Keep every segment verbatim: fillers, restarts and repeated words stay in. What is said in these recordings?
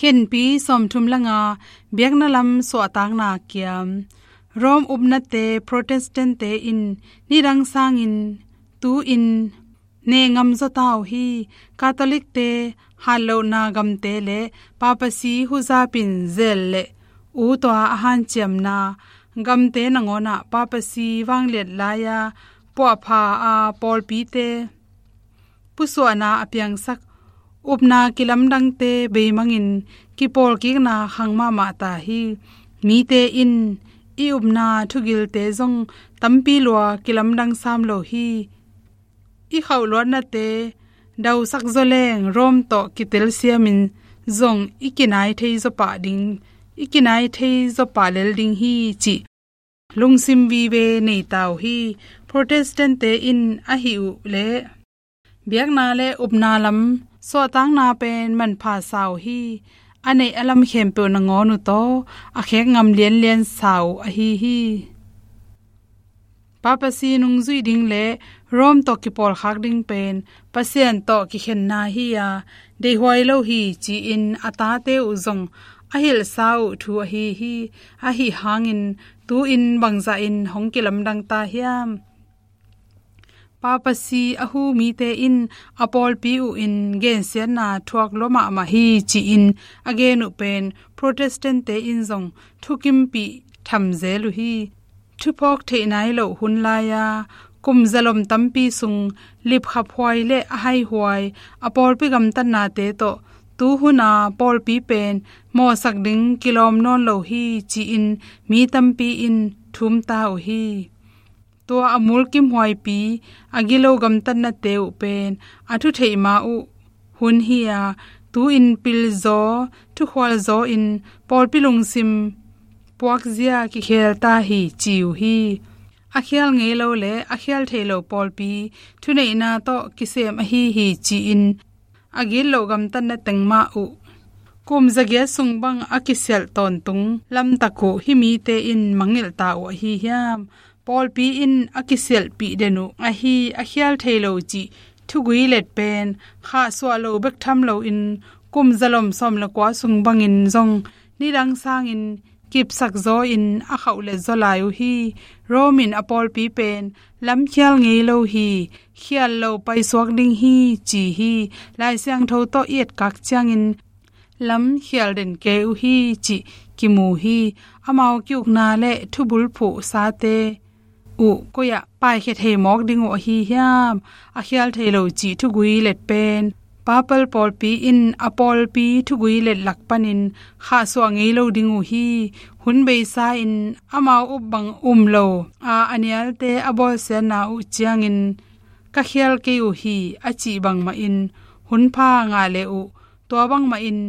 Khenpi sawmthum le nga, biakna lam suahtakna kiam. Rome upnate Protestant-te in nidang sangin tu-in neh ngam zaw ta uh hi. Catholic-te hatlohna gamte le papacy huzapin zel le u tua a hanciamna gamte nangawnah papacy vangliat lai-a puahpha a pawlpite pusuahna a piangsak upna kilamdangte beimangin kipawlkikna khang mahmah ta hi. Mite in i upna thugilte zong tampi lua kilamdang sam lo hi. I khauhluatnate dausak zaw leng Rome tawh kitelsiamin zong i kinai thei zaw pah ding, i kinai thei zaw pah lel ding hi cih lungsim vive nei ta uh hi. Protestant-te in ahi uh leh biakna le upna lam suahtakna pen manpha sa uh hi. A neih a lam khempeuh nangawn uh tawh a khek ngam lianlian sa uh ahi hi. Papacy nungzui ding le Rome tawh kipawlkhak ding pen Pasian tawh kikhenna hi-a deihhuai lo hi ci-in a tate uh zong a hilhsa uh thu ahi hi. Ahi hangin tu-in bangzahin hong kilamdang ta hiam? Papacy a hu mite in a pawlpi uh in gensiatna thuak lua mahmah hi ci-in a gen uh pen Protestant-te in zong thukimpih thamzel uh hi. Thuphawk theih nai loh hun lai-a kum zalom tampi sung lipkhaphuai le a haihuai a pawlpi gamtatnate tawh tu huna pawlpi pen mawhsak ding kilawm nawn lo hi ci-in mi tampi in thum ta uh hi. Tua a mulkimhuaipi a gilo gamtatnate uh pen a thutheih ma uh hun hi-a, tu-in pilzaw thukhualzaw in pawlpi lungsim puakzia kikhel ta hi ci uh hi. A khial ngei lo le a khial thei lo pawlpi thuneihna tawh kisem ahi hi ci-in a gitloh gamtatna teng mah uh kum zagiat sung bang a kisialh tawntung lamtak uh hih mite in mangngilh ta uh ahi hiam? Pawlpi in a kisialhpih den uh ahi a khial thei lo cih thugui let pen khahsuah lo bek tham loin kum zalom sawm le kua sung bangin zong nidang sangin kipsak zaw in a khauh let zaw lai uh hi. Rome in a pawlpi pen lamkhial ngei lo hi. Khial lo paisuak ding hi ci hi. Lai Siangtho tawh i etkak ciangin lamkhial den kei uh hi cih kimu hi. Amau kiukna le thubulphuh sate uh koi-ah paikhia thei mawk ding uh ahi hiam? A khial thei lo cih thugui let pen Papal pawlpi in a pawlpi thugui let lak panin khahsuah ngei lo ding uh hi. Hun beisa in amau up bang um lo a, a nialte a bawlsiatna uh ciangin ka khial kei uh hi a cih bangmah in hun pha ngah le uh tua bangmah in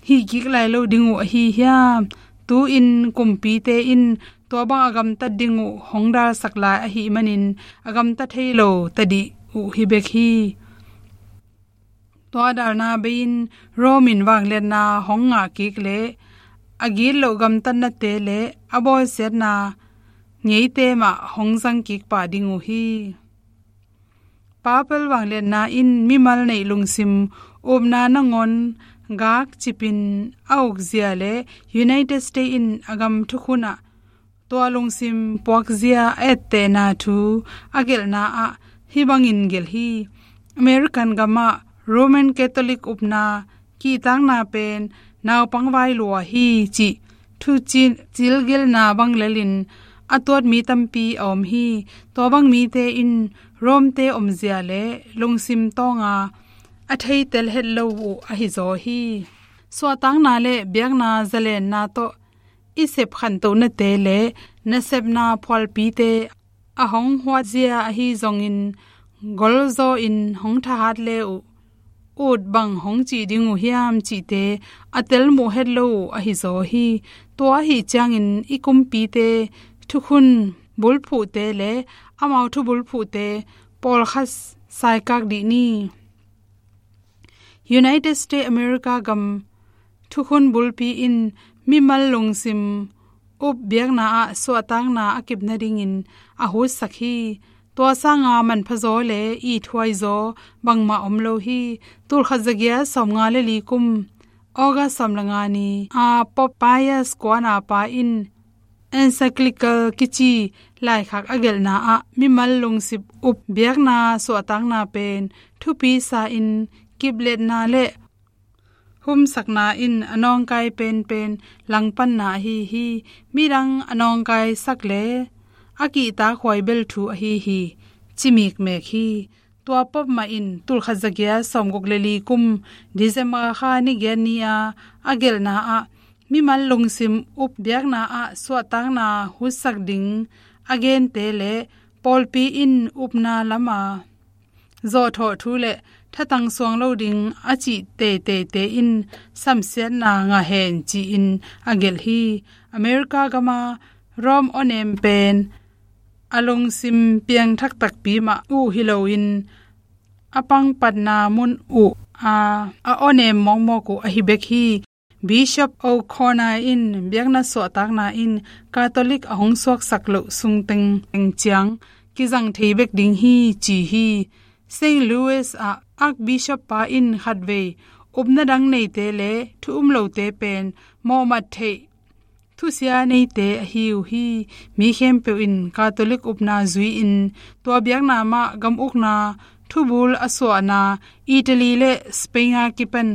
hih kik lai lo ding uh ahi hiam? Tu-in kumpite in tua bang a gamtat ding uh hong dalsak lai ahih manin a gamta thei lo tadih uh hi bek hi. Tua dalna bei-in Rome in vangliatna hong ngah kik le a gitloh gamtatnate le a bawlsiatna ngeite mah hong zang kik pah ding uh hi. Papal vangliatna in mimal neih lungsim upna nangawn gak cipin a ukzia le United States in a gam thukhun ah tua lungsim puakzia a ettehna thu a gelhna ah hih bangin gelh hi. American gamah Roman Catholic upna kihtakna pen naupang vai lua hi cih thucil, cilgilhna bang lelin a tuat mi tampi a om hi. Tua bang mite in Rome-te omzia le lungsim tawnga a theitel het lo uh ahi zaw hi. Suahtakna le biakna zalenna tawh i sep khantohnate le nasepna phualpite a hong huatzia ahi zongin golzaw in hong thahat le uh ut bang hong cih ding uh hiam cihte a telmuh het lo uh ahi zaw hi. Tua ahi ciangin i kumpite thukhun bulphuhte le amau thubulphuhte pawlkhat saikak dih ni. United States America gam thukhun bulpi in mimal lungsim up biakna ah suahtakna a kip nadingin a hutsak hi. Tua sanga manphazaw le ithuaizaw bangmah om lo hi. Tulkhat zagiat sawmnga le li kum August sawm le nga ni a Pope Pius kuana pa in encyclical kici laikhak a gelhna ah mimal lungsim up biakna suahtakna pen thupi sa in kipletna le humsakna in a nawngkai penpen langpanna ahi hi. Midang a nawngkaisak le a kihtakhuai bel thu ahi hi, ci mikmek hi. Tua Pope mah in tulkhat zagiat sawmguk le li kum December kha ni giat ni a a gelhna ah mimal lungsim up biakna ah suahtakna hutsak ding a gente le pawlpi in upna lama zawhthawh thu le thatang suang lo ding a cih teiteite in samsiatna ngah hen ci-in a gelh hi. America gama Rome awnem pen a lungsim piangthak takpi mah uh hi loin a pangpatna mun uh a a awnem mawkmawk uh ahi bek hi. Bishop O'Connor in biakna suahtakna in Catholic a hong suaksak loh sung tengteng ciang kizang thei bek ding hi ci hi. Saint Louis ah Archbishop pa in khatvei upna dang neite le thu um lote pen mawhmat theih thusia neite ahi uh hi. Mi khempeuh in Catholic upna zui-in tua biakna mah gam ukna thubul a suahna Italy le Spain a kipan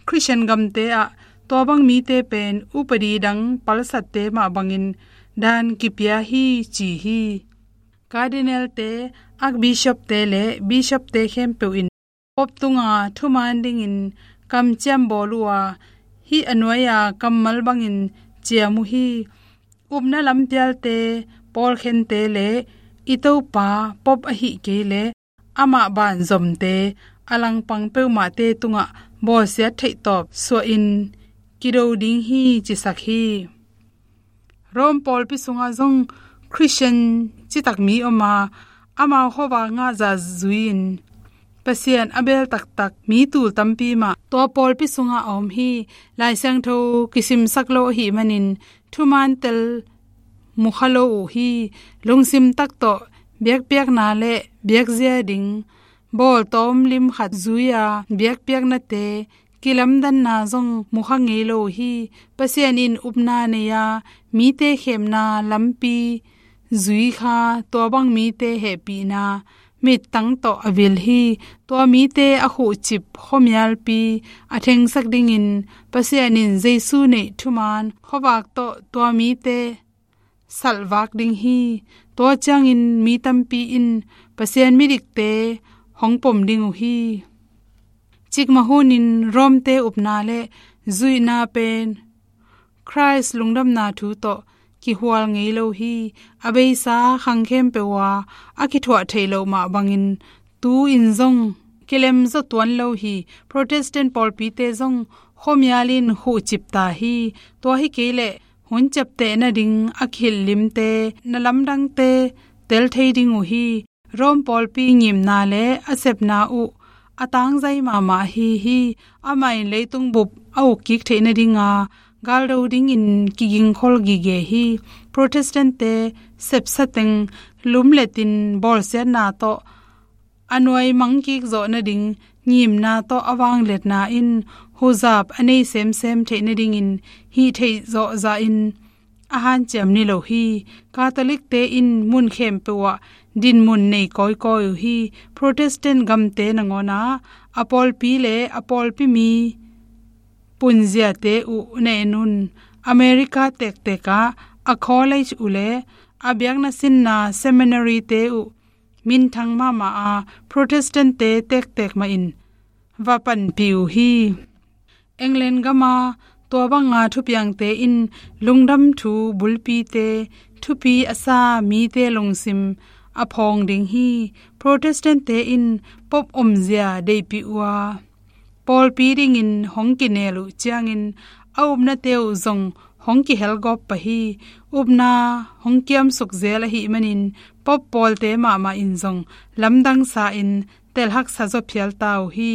Christian gamte ah tua bang mite pen upadi dang palsatte mah bangin dan kipia hi ci hi. Cardinal-te, Archbishop-te le Bishop-te khempeuh in Pope tunga thuman dingin kamciam bawl uh a, hih a nuai-a kammal bangin ciam uh hi. Upna lampialte, pawlkhente le i Topa Pope ahih kei le amah banzomte a langpang peuhmahte tungah bawlsiat theihtawp suahin kido ding hi cisak hi. Rome pawlpi sungah zong Christian citak mi om a, amau khuavak ngahza zui-in Pasian a beel taktak mi tul tampi mah tua pawlpi sungah a om hi. Lai Siangtho kisimsak lo ahih manin thuman tel mukha lo uh hi. Lungsim tak tawh biakpiakna le biakzia ding bawltawm lim khat zui-a biakpiaknate kilamdanna zong mukha ngei lo uh hi. Pasian in upna nei-a mite khemna lampi zui kha tua bang mite hehpihna mittang tawh a vil hi. Tua mite a khuhcip khuamialpi a thengsak dingin Pasian in Jesu neih thuman khuavak tawh tua mite salvak ding hi. Tua ciangin mi tampi in Pasian midikte hong pom ding uh hi. Cikmah hunin Rome-te upna le zuihna pen Christ lungdamna thu tawh kihual ngei lo hi. A beisa khang khempeuh a a kithuah theih loh mah bangin tu-in zong kilemzaw tuan lo hi. Protestant pawlpite zong khuamial in khuhcip ta hi. Tua hi kei leh hun ciapteh nading a kihilh limte, na lamdangte tel thei ding uh hi. Rome pawlpi ngimna le a sepna uh a tangzai mahmah ahi hi. Amah in leitung bup a uk kik theih nadinga galdo dingin kigingkhol gige hi. Protestant-te sepsa teng lumletin bawlsiatna tawh a nuai mangkik zawh nading ngimna tawh a vangliatna in huzap a nei semsem theih nadingin hih theih zawh zahin a hanciam ni lo hi. Catholic-te in mun khempeuh ah dinmun nei kawikawi uh hi. Protestant gamte nangawnah a pawlpi le a pawlpi mi punziate uh na en un. America tektek ah a college uh le a biakna sinna seminary-te uh minthang mahmah a Protestant-te tektek mahin va panpih uh hi. England gama tua banga thupiangte in lungdam thu bulpite thupi a sa mite lungsim a phawng ding hi. Protestant-te in Pope omzia deihpih uh a pawlpi dingin hong kinel uh ciangin a upnate uh zong hong kihelgawp pah hi. Upna hong kiamsuk zel ahih manin Pope pawlte mahmah in zong lamdang sa-in telhaksa zaw phial ta uh hi.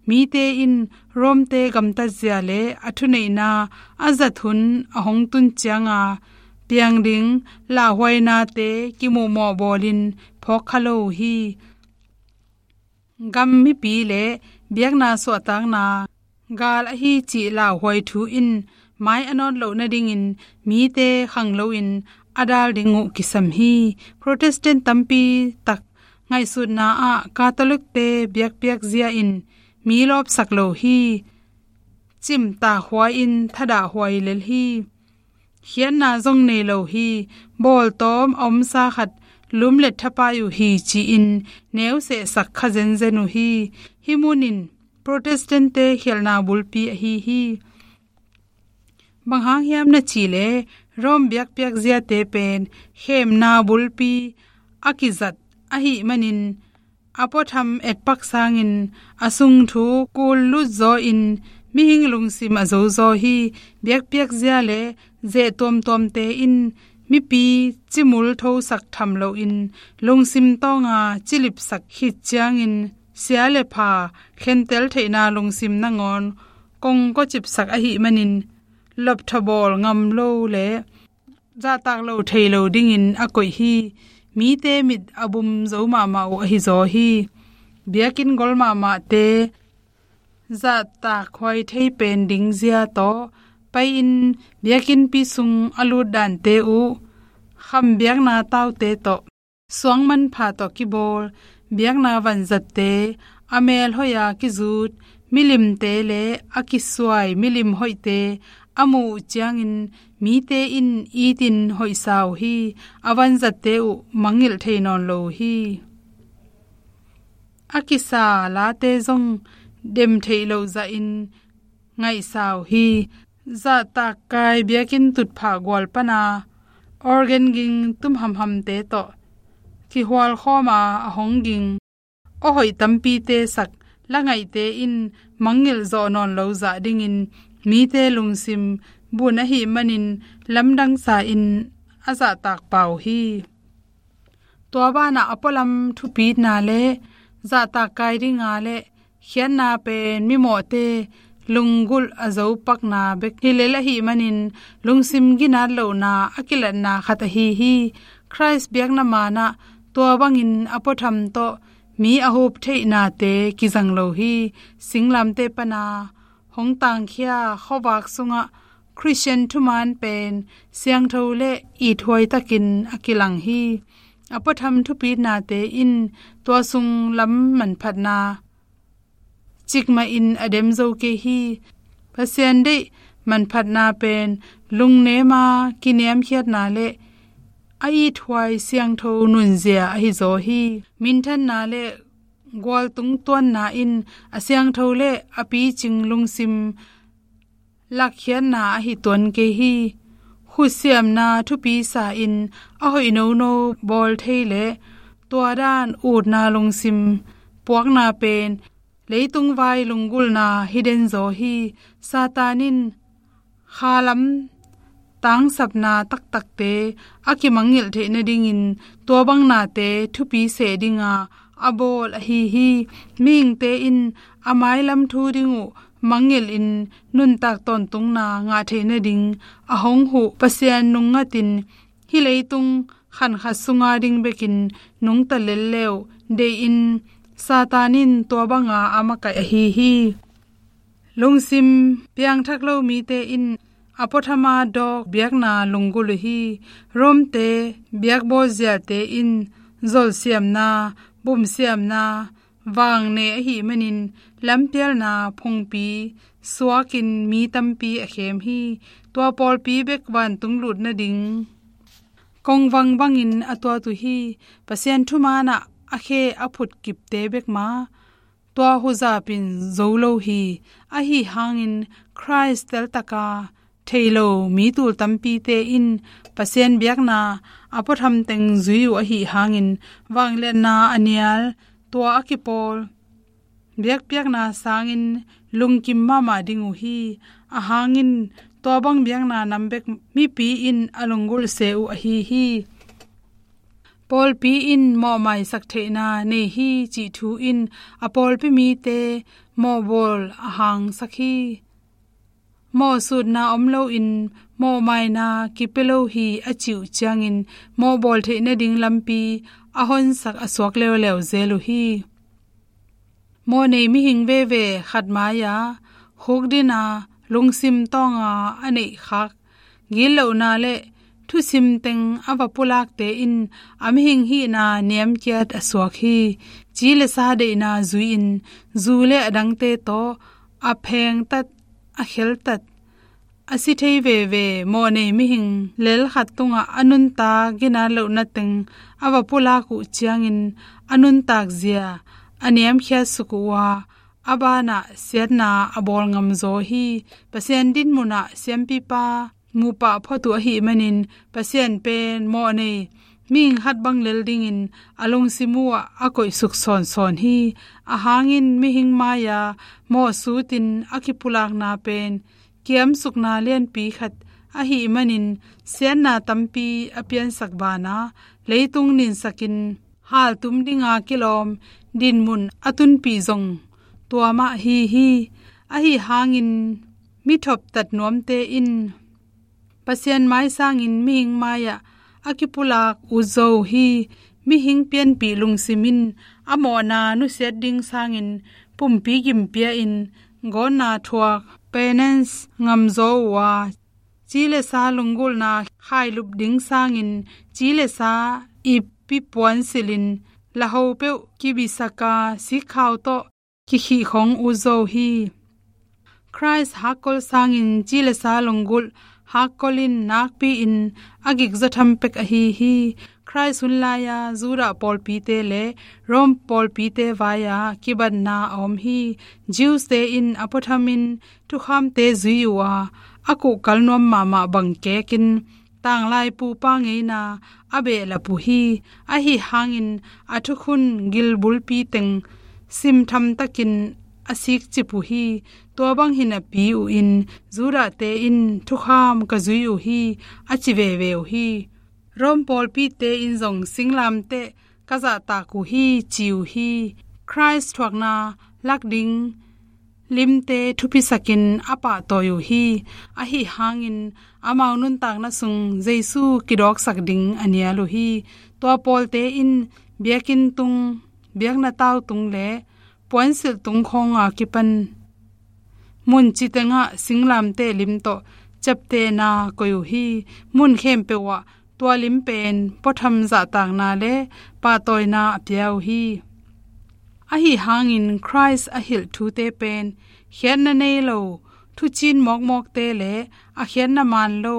Mite in Rome-te gamtatzia le a thuneihna a zat hun a hong tun cianga piang ding lauhuainate kimuhmawh bawlin phawk kha lo uh hi. Gam mipi le biakna suahtakna gal ahi cih lauhuai thu in mai a nawt loh nadingin mite khang loin a dal ding uh kisam hi. Protestant tampi tak ngaihsutna ah Catholic-te biakpiak zia in mi lawpsak lo hi. Cimtak huai in thadah huai lel hi. Khiatna zong nei lo hi. Bawltawm a omsa khat lumlet thapai uh hi ci-in neusehsak kha zenzen uh hi. Hih munin Protestant-te khialhna bulpi ahi hi. Bang hang hiam na cih leh Rome biakpiak ziate pen khemna bulpi a kizat ahih manin a puatham etpak sangin a sung thu kul lut zaw in mihing lungsim a zo zaw hi. Biakpiak zia le zeh tuamtuamte in mipi cimul thosak tham loin lungsim tawnga cilipsak khit ciangin sia le pha khentel theihna lungsim nangawn kongkocipsak ahih manin lopthabawl ngam lo le zahtak lo thei lo dingin a koih hi. Mite mit a bum zo mahmah uh ahi zaw hi. Biakinn gol mahmahte zahtak huai thei pen ding zia tawh pai-in biakinnpi sung a lut dante uh kham biakna taute tawh suang manpha tawh kibawl, biakna vanzatte a mel hoih a kizut, milimte le a kisuai milim hoihte a muh uh ciangin mite in itin hoihsa uh hi. A vanzatte uh mangngilh thei nawn lo uh hi. A kisa late zong dem theih loh zahin ngaihsa uh hi. Zahtak kai biakinn tutphah gual pana organ ging tum hamhamte tawh kihualkhawm a, a hong ging aw hoih tampite sak la ngaihte in mangngilh zawh nawn lo zah dingin mite lungsim bun ahih manin lamdang sa in a zahtak pau hi. Tua banah a pualam thupitna le zahtak kai dinga le khiatna pen mimawhte lunggulh a zo pakna bek hi lel ahih manin lungsim ginat lohna a kilatna khat ahi hi. Christ biakna manah tua bangin a puatham tawh mi a hup theihnate kizang lo hi. Singlamteh pana hong tangkhia khuavak sungah Christian thuman pen siangtho le ithuai takin a kilang hi. A puatham thupitnate in tua sung lam manphatna cikmah in a dem zo kei hi. Pasian deih manphatna pen lungnema kiniamkhiatna le a ithuai siangtho nunzia ahi zaw hi. Minthanna le gualtung tuanna in a siangtho le a picing lungsim lakkhiatna ahi tuan kei hi. Khutsiamna thupi sa in a hoih nono bawl thei le tua dan utna lungsim puakna pen leitung vai lunggulhna hi den zaw hi. Satan in khalam tangsapna taktakte a kimangngilh theih nadingin tua bang nate thupi seh dinga a bawl ahi hi. Mihingte in a mailam thu ding uh mangngilh in nuntak tawntungna ngah theih nading a hong huh Pasian nungngatin hih leitung khankhat sunga ding bekin nungta lel le uh deihin Satan in tua banga a makaih ahi hi. Lungsim piangthak lo mite in a puathama dawk biakna lunggulh uh hi. Rome-te biakbawl ziate in zolsiamna, bumsiamna, vang nei ahih manin lampialna phungpi suakin mi tampi a khem hi. Tua pawlpi bek vantung lut nading kongvang bangin a tuat uh hi. Pasian thumanah a khe a phut kipte bek mah tua huzapin zo lo hi. Ahi hangin Christ teltaka thei lo mi tul tampite in Pasian biakna a puatham teng zui uh ahi hangin vangliatna a nial tua a kipawl biakpiakna sangin lungkim mahmah ding uh hi. A hangin tua bang biakna nam bek mipi in a lunggulh se uh ahi hi. Pawlpi in mawhmaisak theihna nei hi cih thu in a pawlpi mite mawhbawl a hangsak hi. Mawhsutna om loin mawhmaina kipia lo hi a cih uh ciangin mawhbawl theih nading lampi a honsak a suak leuleu zel uh hi. Mawhnei mihing veve khat mai-a khukdina lungsim tawnga a neihkhak gitlohna le thusim teng a va pulakte in a mihing hihna niamkiat a suak hi. Ci le sa deihna zui-in zu le a dangte tawh a phengtat, a kheltat, a si thei veve mawhnei mihing lel khat tungah a nuntak ginat lohna teng a va pulak uh ciangin a nuntak zia a niamkhiat suk uh a, a banah siatna a bawl ngamzaw hi. Pasian dinmunah siampipa mupah phot uh ahih manin Pasian pen mawhnei mihing khat bang lel dingin a lungsim uhah a koihsuk sawnsawn hi. A hangin mihing mai-a mawhsutin a kipulakna pen kiamsukna lianpi khat ahih manin siatna tampi a piansak banah leitung ninsakin haltum dinga kilawm dinmun a tunpih zong tua mah hi hi. Ahi hangin mi thoptat nuamte in Pasian mai sangin mihing mai-ah a kipulak ut zo uh hi. Mihing pianpih lungsim in a mawhna nusiat ding sangin pumpi gimpia in gawtna thuak, penance, ngamzaw uh a, ci le sa lunggulhna khailup ding sangin ci le sa ip pi puansilhin laho peuh kibisaka sikkhau tawh kikhihkhong ut zo uh hi. Christ hakkol sangin ci le sa lunggulh hakkol in nakpi-in a gikzaw tham pek ahi hi. Christ hun lai-a Judah pawlpite le Rome pawlpite vai-a kibatna a om hi. Jews-te in a puathamin thukhamte zui uh a, a kuhkal nuam mahmah bang kekin tanglai pupa ngeina a behlap uh hi. Ahi hangin a thukhun gilbulpi teng simthamtakin a sikcip uh hi. Tua bang hi napi uh in Judah-te in thukham ka zui uh hi, a ci veve uh hi. Rome pawlpite in zong singlamteh ka zahtak uh hi, ci uh hi. Christ thuakna lak ding limte thupisakin a pahtawi uh hi. Ahi hangin amau nuntakna sung Jesu kidawksak ding a nial uh hi. Tua pawlte in biakinn tung, biakna tau tung le puansilh tung khawnga kipan mun citengah singlamteh lim tawh ciaptehna koih uh hi. Mun khempeuh ah tua lim pen puatham zahtakna le pahtawina a pia uh hi. Ahi hangin Christ a hilh thute pen khiatna nei lo, thucin mawkmawkte le a khiatna man lo,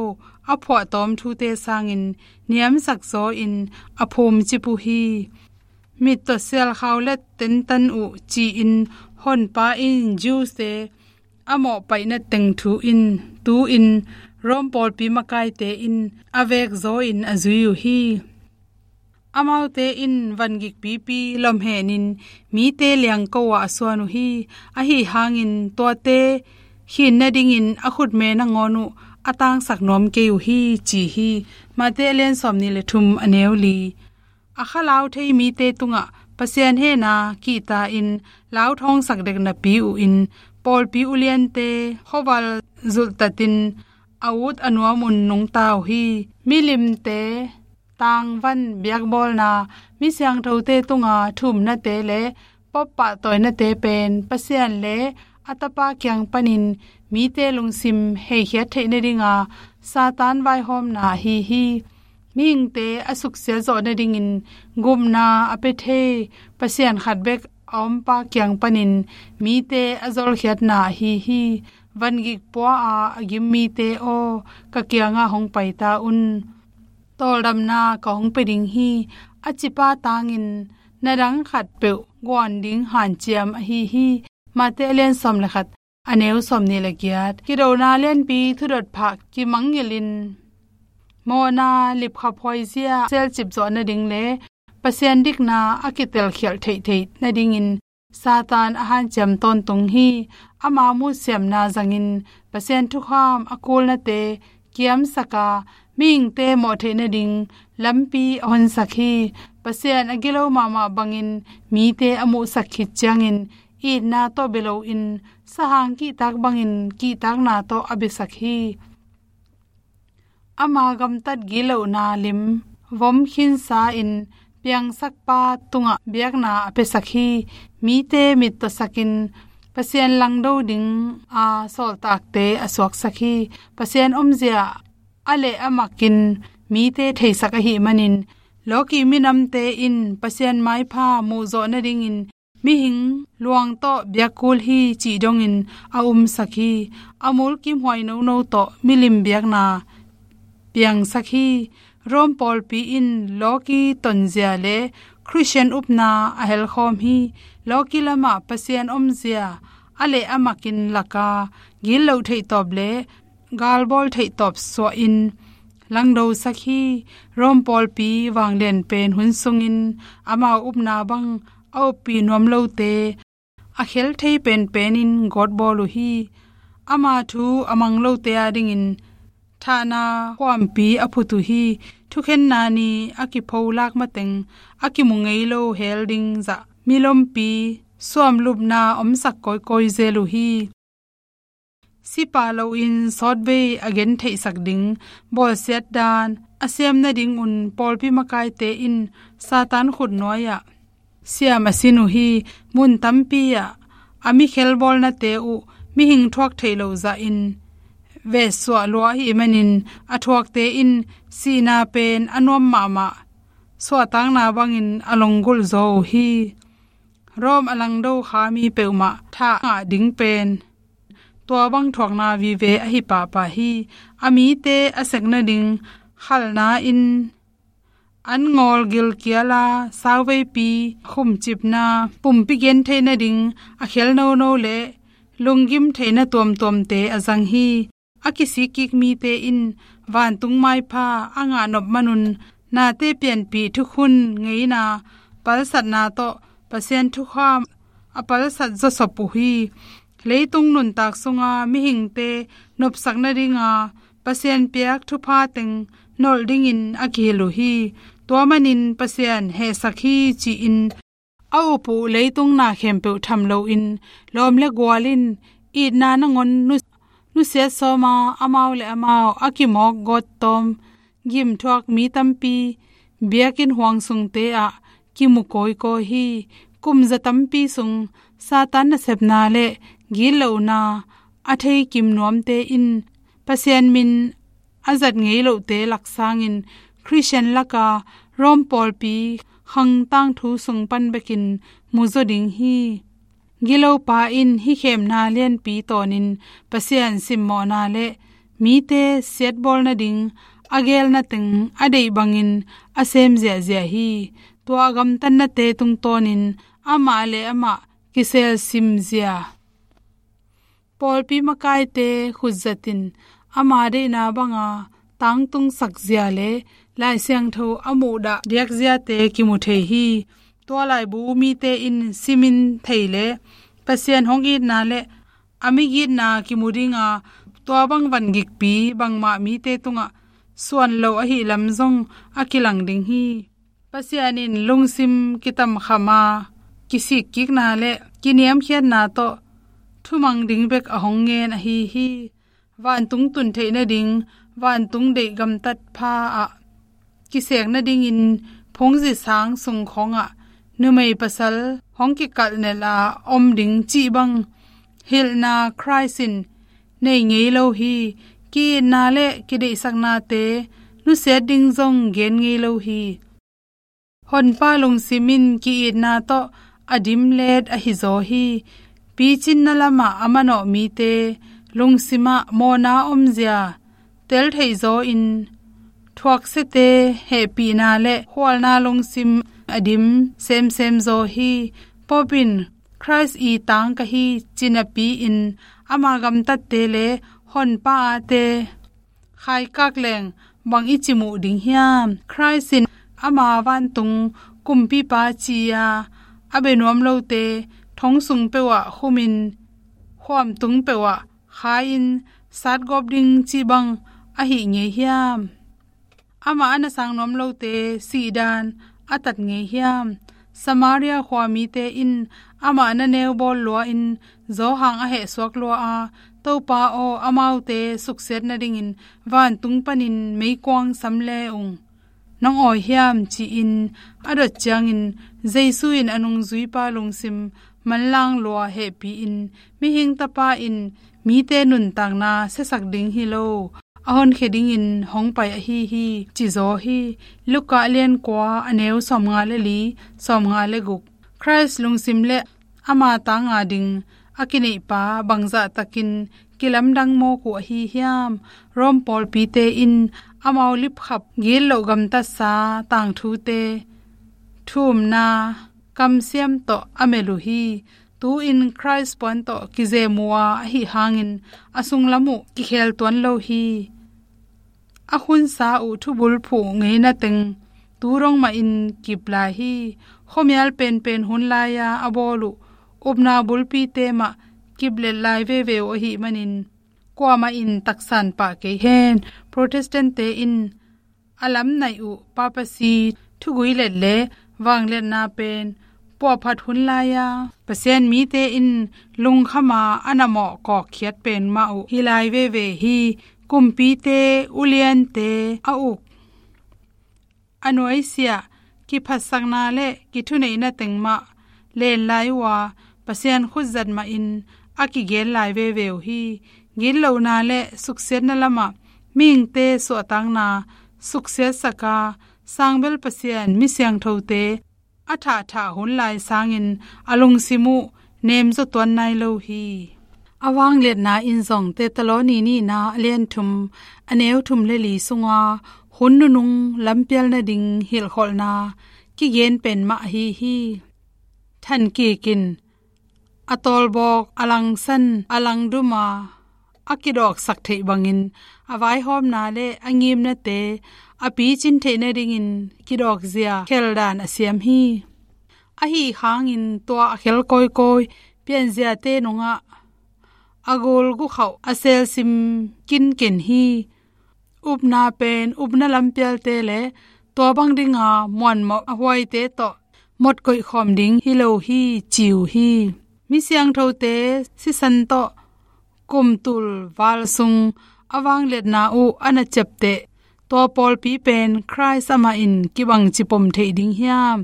a phuahtawm thute sangin niamsak zaw-in a phumcip uh hi. Mittaw sialkhau let tentan uh ci-in Honpa in Jews-te a mawhpaihna teng thu in tu-in Rome pawlpi makaite in a vekzaw-in a zui uh hi. Amaute in vangik pipi lomhenin mite liangko-ah a suan uh hi. Ahi hangin tuate khin nadingin a khutme nangawn uh a tangsak nuam kei uh hi, ci hi. Mate a lian sawmnih le thum, a neu li. A kha lau thei mite tungah Pasian hehna kihta-in lau thawngsak dek napi uh in pawlpi uliante khuaval zulhtatin a ut a nuamun nungta uh hi. Milimte tangvan biakbawlna, mi siangthote tunga thumnate le pop pahtawinate pen Pasian le a Tapa kiang panin mite lungsim heikhiat theih nadinga Satan vaihawmna ahi hi. Mihingte a suksiat zawh nadingin gupna a pia thei Pasian khat bek a ompa kiang panin mite a zolkhiatna ahi hi. Vangik pua-a a gim mite aw, ka kiangah hong pai ta un. Tawldamna ka hong pia ding hi. A cipa tangin na dang khatpeuh guan ding hanciam ahi hi. Mate a lian sawm le khat, a neu sawmnih le giat. Kidona lianpi thudot phah kimangngilhin mawhna lipkhaphuai zia selcip zawh nading le Pasian dikna a kitelkhialh theihtheih nadingin Satan a hanciam tawntung hi. Ama muhsiamna zangin Pasian thukham a kulnate kiamsaka mihingte mawh theih nading lampi a honsak hi. Pasian a gilo mahmah bangin mite a muhsak khit ciangin itna tawh bia loin sahang kihtak bangin kihtakna tawh a biasak hi. Ama gamtat gitlohna lim vom khinsa-in piangsakpa tungah biakna a piasak hi. Mite mittawsakin Pasian langdo ding a sawltakte a suaksak hi. Pasian omzia a leh a makin mite theisak ahih manin, lawki minamte in Pasian maipha muhzawh nadingin mihing luang tawh biakkul hi cih dongin a umsak hi. A mulkimhuai nono tawh milim biakna piangsak hi. Rome pawlpi in lawki tonzia le Khristian upna a helkhawm hi. Lawki lamah Pasian omzia a leh a makin laka gitloh theihtawp le galbawl theihtawp suahin langdosak hi. Rome pawlpi vanglian pen hun sungin amau upna bang a uppi nuam lote a khel thei penpenin gawtbawl uh hi. Ama thu a mang lote adingin thahna khuampi a phut uh hi. Thukhenna ni a kipholak mateng a kimu ngei lo hel ding zah milompi suamlupna omsak kawikawi zel uh hi. Sipa loin sawtvei a gentheihsak ding bawlsiat dan a siam nadingun pawlpi makaite in Satan khutnuai-ah siam a sin uh hi. Mun tampi-ah a mikhelbawlnate uh mihing thuak theih loh zahin vetsuah lua ahih manin a thuakte in sihna pen a nuam mahmah suahtakna bangin a longgulh zaw uh hi. Rome a langdo kha mi peuhmah thah ngah ding pen tua bang thuakna vive ahi pahpah hi. A mite a sek nading khalna in an ngawl gilkiala sauveipi khumcipna pumpi genthei nading a khel nono le lunggim theihna tuamtuamte a zang hi. A kisikkik mite in vantung maipha a ngahnop manun nate pianpih thukhun ngeina palsatna tawh Pasian thukham a palsat zawsop uh hi. Leitung nuntak sunga mihingte nopsak nadinga Pasian piak thupha teng nolh dingin a kihilh uh hi. Tua manin Pasian hehsak hi ci-in a up uh leitung na khempeuh tham loin lawm le gual in itna nangawn nu-, nusiat sawma amau le amau a kimawk gawttawm gimthuak mi tampi biakinn huang sungte ah kimu kawikawi hi. Kumza tampi sung Satan nasepna le gitlohna a thei kim nuamte in Pasian min a zat ngei lohte laksangin Khristian laka Rome pawlpi khang tangthu sung pan bekin muzaw ding hi. Gilopa in hih khemna lianpi tawnin Pasian simmawhna le mite siatbawl nading a gelna teng a deih bangin a sem ziahziah hi. Tua a gamtatnate tungtawnin amah le amah kisel simzia pawlpi makaite khutzatin ama deihna banga tangtungsak zia le Lai Siangtho a muhdah diakziate kimu thei hi. Tua laibu mite in simin thei le Pasian hong itna le a migitna kimu dinga tua bang vangikpi bangmah mite tungah suan lo ahi lam zong a kilang ding hi. Pasian in lungsim kitamkhama kisikkikna le kiniamkhiatna tawh thumang ding bek a hong ngen ahi hi. Vantung tun theih nading vantung deih gamtat pha ah kisek nadingin phungzi sang sung khawngah numei pasal hong kikalh nelh a om ding cih bang hilhna Khrist in nei ngei lo hi. Ki-itna le kideihsaknate nusiat ding zong gen ngei lo hi. Honpa lungsim in ki-itna tawh a dimlet ahi zaw hi. Picinna lamah a manawh mite lungsimah mawhna omzia tel theih zawin thuaksiate hehpihna le khualna lungsim a dim semsem zaw hi. Pope in Khrist i tang ka hi ci napi-in ama gamtatte le honpa ate khaikak leng bang i cimuh ding hiam? Khrist in ama vantung kumpipa ci-a a bia nuam lote thong sung peuhah khumin khuamtung peuhah khai-in satgawp ding cih bang ahih ngei hiam? Amah a na sang nuam lote sihdan a tat ngei hiam? Samaria khua mite in amah na neu bawl lua-in zawhang a hehsuak lua a, Topa aw, amaute suksiat nadingin vantung panin meikuang sam le ung, nong awi hiam? Ci-in a dot ciangin Jesu in a nungzuipa lungsim manlang lua hehpih in, mihing tapa in mite nuntakna siasak ding hi lo, a honkhia dingin hong pai ahi hi, ci zaw hi. Luka a lian kua, a neu sawmnga le li, sawmnga le guk. Khrist lungsim le ama tang a ding a kineihpa bangzah takin kilamdang mawk uh ahi hiam? Rom pawlpite in amau lipkhap gitloh gamtatsa tangthute thu-umna kamsiam tawh a melh uh hi. Tu-in Khrist puan tawh kizem uh a, ahi hangin a sunglam uh kikhel tuan lo hi. A khunsa uh thubulphuh ngeina teng tu dong mahin kip lai hi. Khuamial penpen hun lai-a a bawl uh upna bulpite mah kip let lai veve uh ahih manin, kuamah in taksan pah kei hen. Protestant-te in a lamnaih uh papacy, thugui let le vangliatna pen puahphat hun lai-a Pasian mite in lungkham a, a na mawh kawkkhiat pen mah uh hi lai veve hi. Kumpite, uliante a uk, a nuaisiah, kiphatsakna le kithuneihna teng mah len lai uh a, Pasian khutzat mahin a kigen lai veve uh hi. Gitlohna le suksiatna lamah mihingte suahtakna suksiatsak a, sangbel Pasian, mi siangthote a thahthah hun lai sangin a lungsim uh nemzaw tuan nai lo hi. A vangliatna in zong Thessaloni nihna a lian thum, a neu thum le li sunga hun nunung lampial nading hilhkholhna kigen pen mah ahi hi. Thankikin a tawlbawk, a langsan, a langdum a, a kidawksak theih bangin a vaihawmna le a ngimnate a picin theih nadingin kidawkzia kheldan a siam hi. Ahi hangin tua a khel kawikawi pianziate nungah a gulgukhauh a selsim kinken hi. Upna pen upna lampialte le tua bang dinga muanmawh a huaite tawh mawtkoih khawm ding hi lo hi, ci uh hi. Mi siangthote sisan tawh kumtul val sung a vangliatna uh a na ciapteh tua pawlpi pen Khrist amah in kibang cipom theih ding hiam?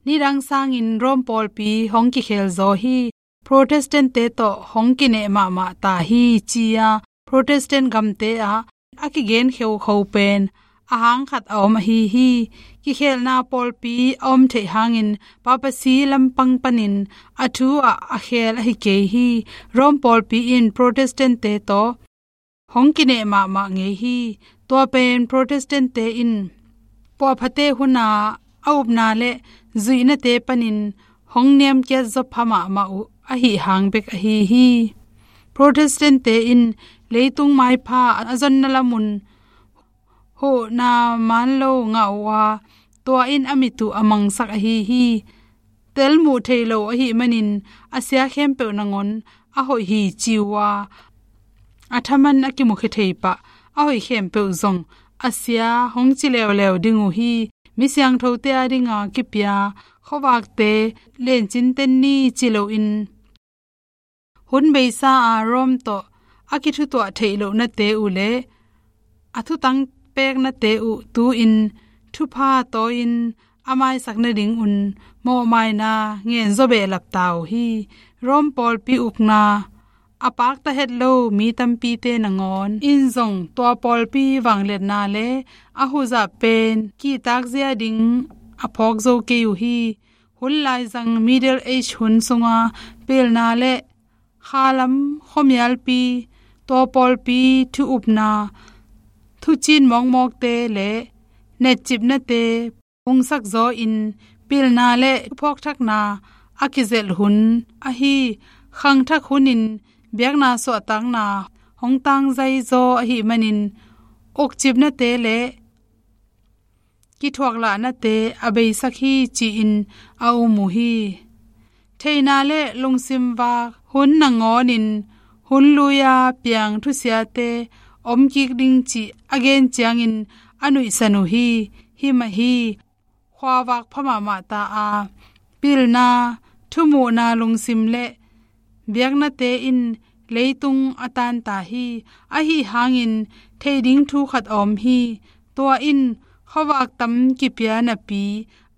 Nidang sangin Rom pawlpi hong kikhel zaw hi. Protestant-te tawh hong kineh mahmah ta hi, ci-a Protestant gamte ah a kigen kheukheu pen a hang khat a om ahi hi. Kikhelna pawlpi a om theih hangin papacy lampang panin a thu ah a khel ahi kei hi. Rom pawlpi in Protestant-te tawh hong kineh mahmah ngei hi. Tua pen Protestant-te in puahphate huna a upna le zuihnate panin hong niamkiat zaw pha mahmah uh ahi hang bek ahi hi. Protestant-te in leitung maipha a zonna lamun huhna man lo ngah uh a, tua in a mit uh a mangsak ahi hi. Tel muh thei lo ahih manin a sia khempeuh nangawn a hoih hi, ci uh a, a thaman a kimukhia thei pah a hoih khempeuh zong a sia hong ci leuleu ding uh hi. Mi siangthote a dinga kipia khuavakte lencin ten ni ci loin, hun beisa a Rom tawh a kithutuah theih lohnate uh le a thutang peknate uh tu-in thupha tawi-in a maisak nadingun mawhmaina ngen zaw behlap ta uh hi. Rom pawlpi ukna a pakta het lo mi tampite nangawn in zong tua pawlpi vangliatna le a huzah pen kihtakzia ding a phawk zo kei uh hi. Hun laizang Middle Age hun sunga pilna le khalam khuamialpi, tua pawlpi thu-upna, thucin mawkmawkte le netcipnate pungsak zawin pilna le thuphawkthakna a kizelh hun ahi. Khangthak hunin biakna suahtakna hong tangzai zaw ahih manin ukcipnate le kithuaklahnate a beisak hi, ci-in a um uh hi. Theihna le lungsim vak hun nangawnin hun lui-a piang thusiate om kik ding cih a gen ciangin a nuihsan uh hi. Hi mah hi. Khuavak pha mahmah ta a, pilna, thumuhna lungsim le biaknate in leitung a tan ta hi. Ahi hangin theih ding thu khat a om hi. Tua in khuavak tam kipia napi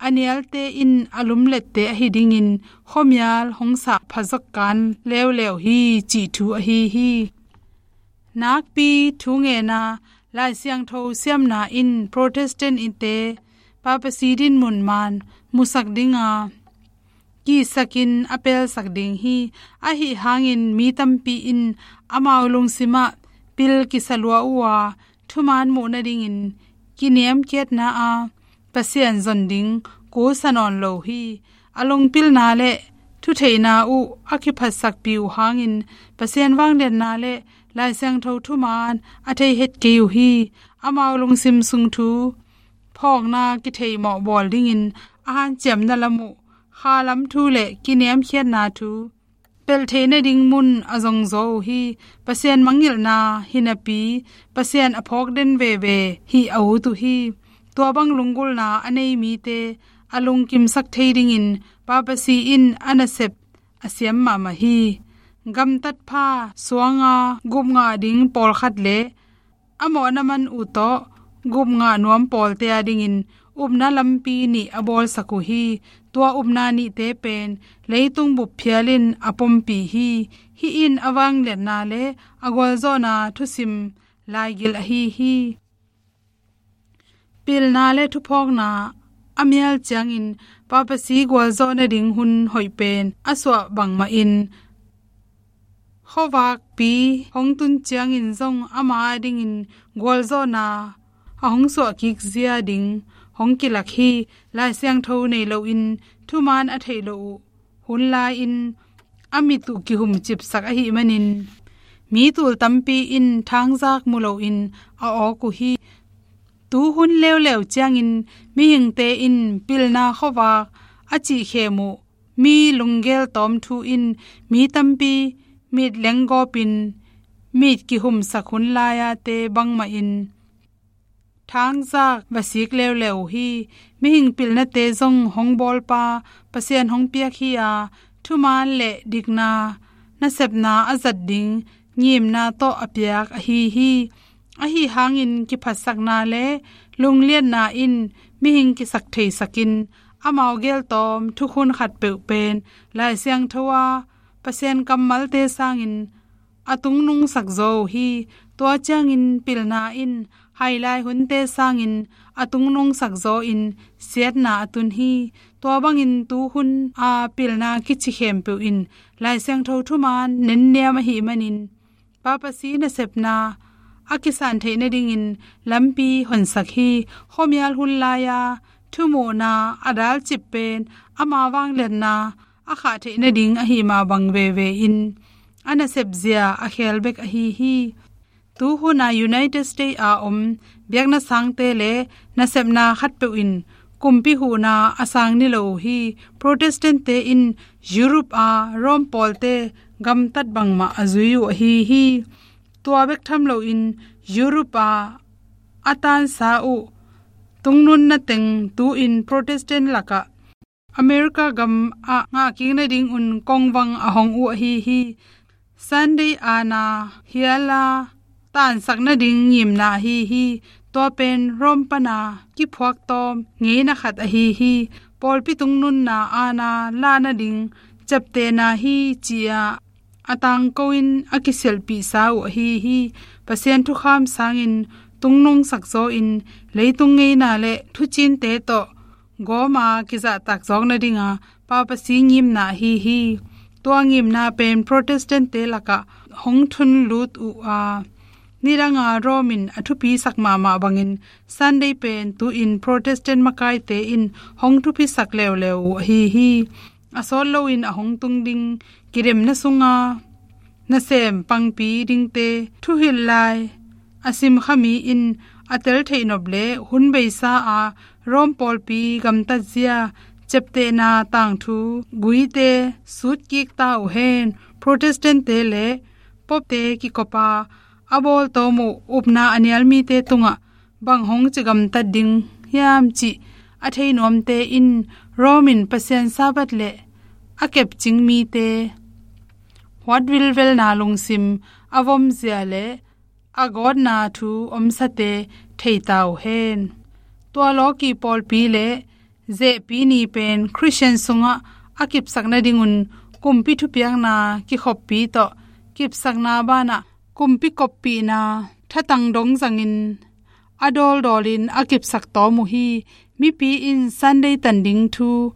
a nialte in a lumlette ahi dingin khuamial hong sah phazok kan leuleu hi cih thu ahi hi. Nakpi thu ngenna, Lai Siangtho siamna in Protestant-te papacy dinmun man musak dinga kisakin a pelsak ding hi. Ahi hangin mi tampi in amau lungsimah pil kisa lua uh a, thuman muh nadingin kiniamkhiatna a Pasian zon ding kusa nawn lo hi. A lungpilna le thutheihna uh a kiphatsakpih uh hangin Pasian vangliatna le Lai Siangtho thuman a thei het kei uh hi. Amau lungsim sung thu phawkna kitheimawh bawl dingin a hanciamna lam uh, khalam thu le kiniamkhiatna thu pelh theih nading mun a zongzaw uh hi. Pasian mangngilhna hi napi, Pasian a phawk den veve hi a ut uh hi. Tua bang lunggulhna a nei mite a lungkimsak thei dingin papacy in a nasep a siam mahmah hi. Gamtatpha suanga gupngah ding pawlkhat le a mawhna man uh tawh gupngah nuam pawlte a dingin upna lampi nih a bawlsak uh hi. Tua upna nihte pen leitung bup phialin a pompih hi. Hih in a vangliatna le a gualzawhna thusim laigil ahi hi. Pilna le thuphawkna a mial ciangin papacy gualzawh nading hun hoih pen a suah bangmahin khuavakpi hong tun ciangin zong ama adingin gualzawhna a hong suahkik zia ding hong kilak hi. Lai Siangtho nei loin thuman a theih loh uh hun lai-in a mit uh kihumcipsak ahih manin mi tul tampi in thangzak mu loin a awk uh hi. Tu hun leuleu ciangin mihingte in pilna khuavak a cihkhem uh mi lunggel tawm thu in mi tampi mit lenggawpin mit kihumsak hun lai-ate bangmahin thangzak va sik leuleu uh hi. Mihing pilnate zong hong bawlpa Pasian hong piak hi a, thuman le dikna nasepna a zat ding ngimna tawh a piak ahi hi. Ahi hangin kiphatsakna le lungliatna in mihing kisak theisakin amau geltawm thukhun khatpeuh pen Lai Siangtho a Pasian kammalte sangin a tungnungsak zaw uh hi. Tua ciangin pilna in hailai hunte sangin a tungnungsak zaw in siatna a tun hi. Tua bangin tu hun a pilna kici khempeuh in Lai Siangtho thuman nenniam ahih manin papacy nasepna a kisan theih nadingin lampi honsak hi. Khuamial hun lai-a thumuhna a dalcip pen ama vangliatna a khah theih nading ahi mah bang veve in a nasepzia a khel bek ahi hi. Tu hun a United States a om biakna sangte le nasepna khatpeuh in kumpi huhna a sang ni lo uh hi. Protestant-te in Europe a Rome pawlte gamtat bangmah a zui uh ahi hi. Tua bek tham loin Europe a a tansa uh tungnunna teng tu-in Protestant lakah America gam ah ngahkik nadingun kongvang a hong uh ahi hi. Sunday aana hiala tansak nading ngimna ahi hi. Tua pen Rome pana kiphuak tawm ngeina khat ahi hi. Pawlpi tungnunna aana lah nading ciaptehna hi ci-a a tangko-in a kisialhpihsa uh ahi hi. Pasian thukham sangin tungnungsak zaw in leitung ngeina le thucinte tawh gawma kizahtak zawk nadinga papacy ngimna ahi hi. Tua ngimna pen Protestant-te lakah hong thun lut uh a, nidanga Rome in a thupisak mahmah bangin Sunday pen tu-in Protestant makaite in hong thupisak leuleu uh ahi hi. A sawt loin a hong tung ding kidemna sunga nasem pangpi dingte thuhilh lai a simkha mi in a tel theih nop le hun beisa a Rome pawlpi gamtatzia ciaptehna tangthu guite sutkik ta uh hen. Protestant-te le Pope-te kikopa a bawltawm uh upna a nial mite tungah bang hong ci gamtat ding hiam cih a thei nuamte in Rome in Pasian Sabbath le a kepcing mite huat vilvelna lungsim a vomzia le a gawtna thu omsate thei ta uh hen. Tua lawki pawlpi le Zehpi ni pen Khristian sungah a kipsak nadingun kumpi thupiakna kikhoppi tawh kipsakna banah kumpi koppihna thatang dong zangin a dawldawlin a kipsak tawm uh hi. Mipi in Sunday tan ding thu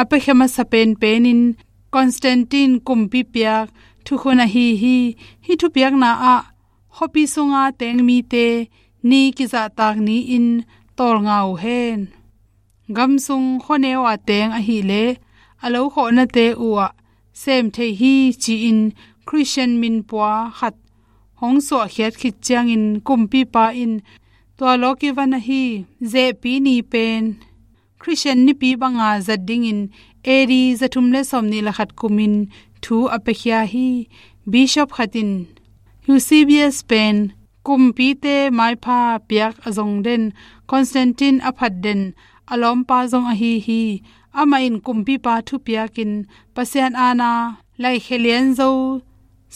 a piakhia masa penpenin Constantine kumpi piak thukhun ahi hi. Hih thupiakna ah khuapi sunga teng mite ni kizahtak ni-in tawlnga uh hen. Gamsung khuaneu a teng ahileh a lo khawhnate uhah sem thei hi ci-in Khristian minpua khat hong suahkhiat khit ciangin kumpipa in tua lawh kivan ahi. Zehpi ni pen Khristian nipi banga zat dingin A D zathum le sawmnih le khat kumin thu a piakhia hi. Bishop khat in Eusebius pen kumpite maipha piak a zong den, Constantine a phat den a lawmpa zong ahi hi. Amah in kumpipa thupiakin Pasian aana laikhia lian zo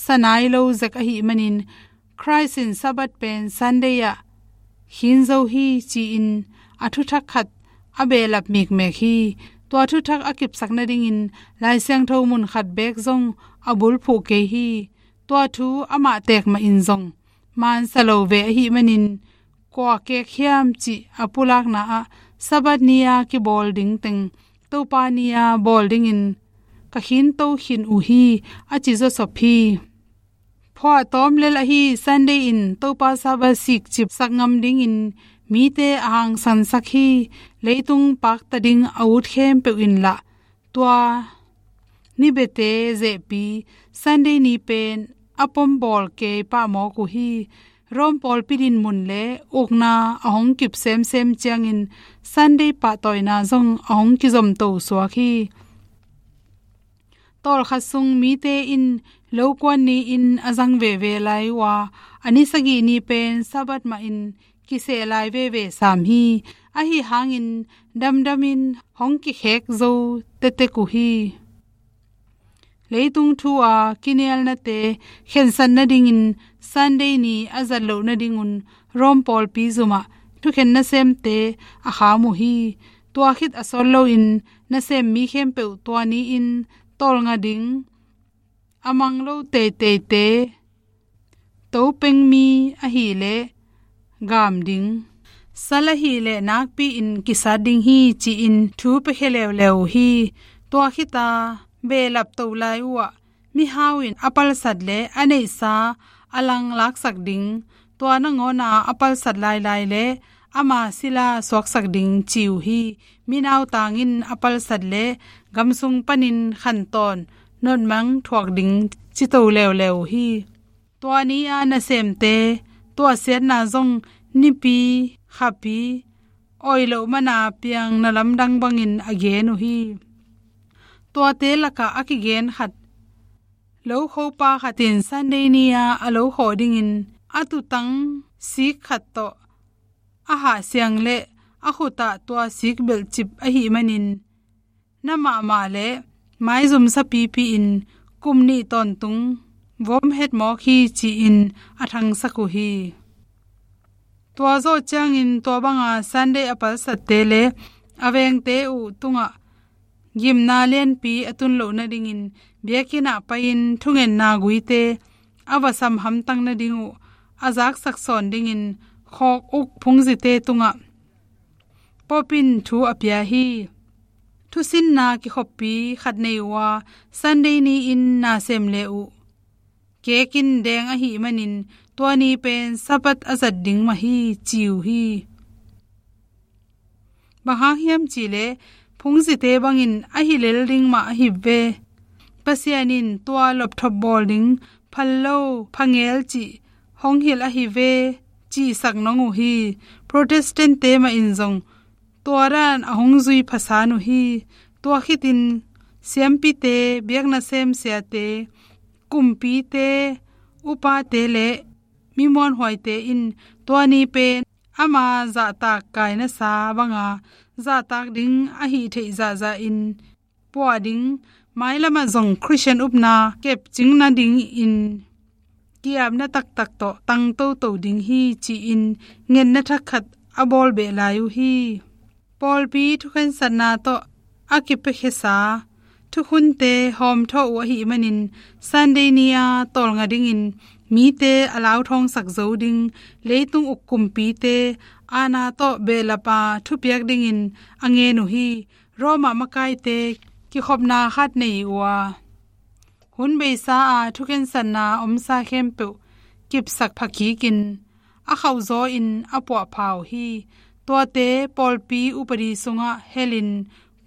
sanai lo zek ahih manin Christ in Sabbath pen Sunday ah khin zo hi ci-in a thuthak khat a behlap mikmek hi. Tua thuthak a kipsak nadingin Lai Siangtho mun khat beek zong a bulphuh kei hi. Tua thu amah tekmah in zong mansa lo ve ahih manin kua kek hiam cih a pulakna ah Sabbath ni-a kibawl ding teng Topa ni-a bawl dingin ka khinto khin uh hi a ci zawsop hi. Phuahtawm lel ahi Sunday in Topa Sabbath sikcipsak ngam dingin mite a hangsansak hi. Leitung pakta ding a ut khempeuh in lah tua ni bete zehpi Sunday ni pen a pom bawl kei pah mawk uh hi. Rome pawlpi dinmun le ukna a hong kip semsem ciangin Sunday pahtawina zong a hong kizomto suak hi. Tawlkhat sung mite in lokuan ni-in a zang veve lai uh a, a ni sagih ni pen Sabbath mah in kiseh lai veve sam hi. Ahi hangin damdamin hong kikhek zo tetek uh hi. Leitung thu a kinialnate khensat nadingin Sunday ni a zat loh nadingun Rome pawlpi zumah thukhen nasemte a kham uh hi. Tua khit a sawt loin nasem mi khempeuh tua ni-in tawlnga ding, a mang lo teiteite, topengmi ahileh gam ding, sal ahileh nakpi-in kisat ding hi ci-in thu piakhia leuleu uh hi. Tua khita behlap to lai uhah mihau in a palsat le a neihsa a langlaksak ding, tua nangawna a palsat lailai le ama sila suaksak ding ci uh hi. Minautang in a palsat le gamsung panin khantawn notmang thuak ding cito leuleu uh hi. Tua ni-a nasemte tuahsiatna zong nipi khapi oi loh mana piang na lamdang bangin a gen uh hi. Tuate lakah a kigen khat, lokhopa khat in Sunday ni-a a lokhawh dingin a tutang sik khat tawh a hahsiang le a khutah tua sik belhcip ahih manin na mahmah le maizum sapipi-in kum nih tawntung vom het mawk hi ci-in a thangsak uh hi. Tua zawh ciangin tua banga Sunday a palsatte le a vengte uh tungah gimna lianpi a tun loh nadingin biakinn ah pai-in thungetna guite a va sam hamtang nading uh a zaksak sawn dingin khawk uk phungzite tungah Pope in thu a pia hi. Thusinna kikhoppi khat nei uh a, Sunday ni-in na sem le uh kekin deng ahih manin tua ni pen Sabbath a zat ding mah hi ci uh hi. Bang hang hiam cihleh phungzite bangin ahi lel ding mah ahi ve. Pasian in tua lopthop bawl ding phal lo phangel cih hong hilh ahi ve cihsak nong uh hi. Protestant-te mah in zong tua dan a hong zui phasan uh hi. Tua khitin siampite, biakna semsiate, kumpite, upate le mi muanhuaite in tua ni pen ama zahtak kainasa banga zahtak ding ahi theih zahzahin puah ding, mailamah zong Khristian upna kepcing nadingin ki-apna taktak tawh tang toto ding hi ci-in ngetna thak khat a bawl beh lai uh hi. pawlpi thukhensatna tawh a kipiakhiasa thukhunte hawmthawh uh ahih manin, Sunday ni-a tawlnga dingin mite a lauthawngsak zo ding leitung uk kumpite aana tawh behlapa thupiak dingin a ngen uh hi. Roma makaite kikhopna khat nei uh a, hun beisa-a thukhensatna omsa khempeuh kipsak phakikin a khauhzawin a puahpha uh hi. Tuate pawlpi upadi sungah helin